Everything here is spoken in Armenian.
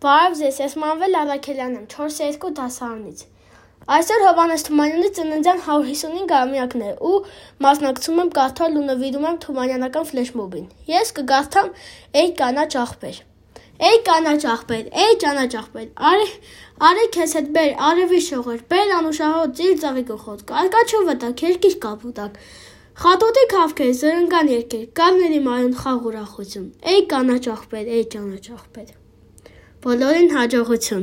Բարև ձեզ, ես Մանվել Առաքելյանն եմ, 4-2 դասարանից։ Այսօր Հովհաննես Թումանյանի ծննդյան 155-ամյակն է ու մասնակցում եմ կարդալ ու նվիրում եմ թումանյանական ֆլեշմոբին։ Ես կգարթամ «Էյ կանաչ աղբեր»։ Էյ կանաչ աղբեր, էյ կանաչ աղբեր, արի քեզ հետ բեր, արևի շողեր, բեր անուշահոտ ծիր ծաղի գլխոտ, կարկաչով վտակ, երկիր կապուտակ, խատոտի քավքեր, զրնգան երկեր, կավների մարուն խաղ ուրախություն, էյ կանաչ աղբեր, էյ կանաչ աղբեր։ Բոլորին հաջողություն։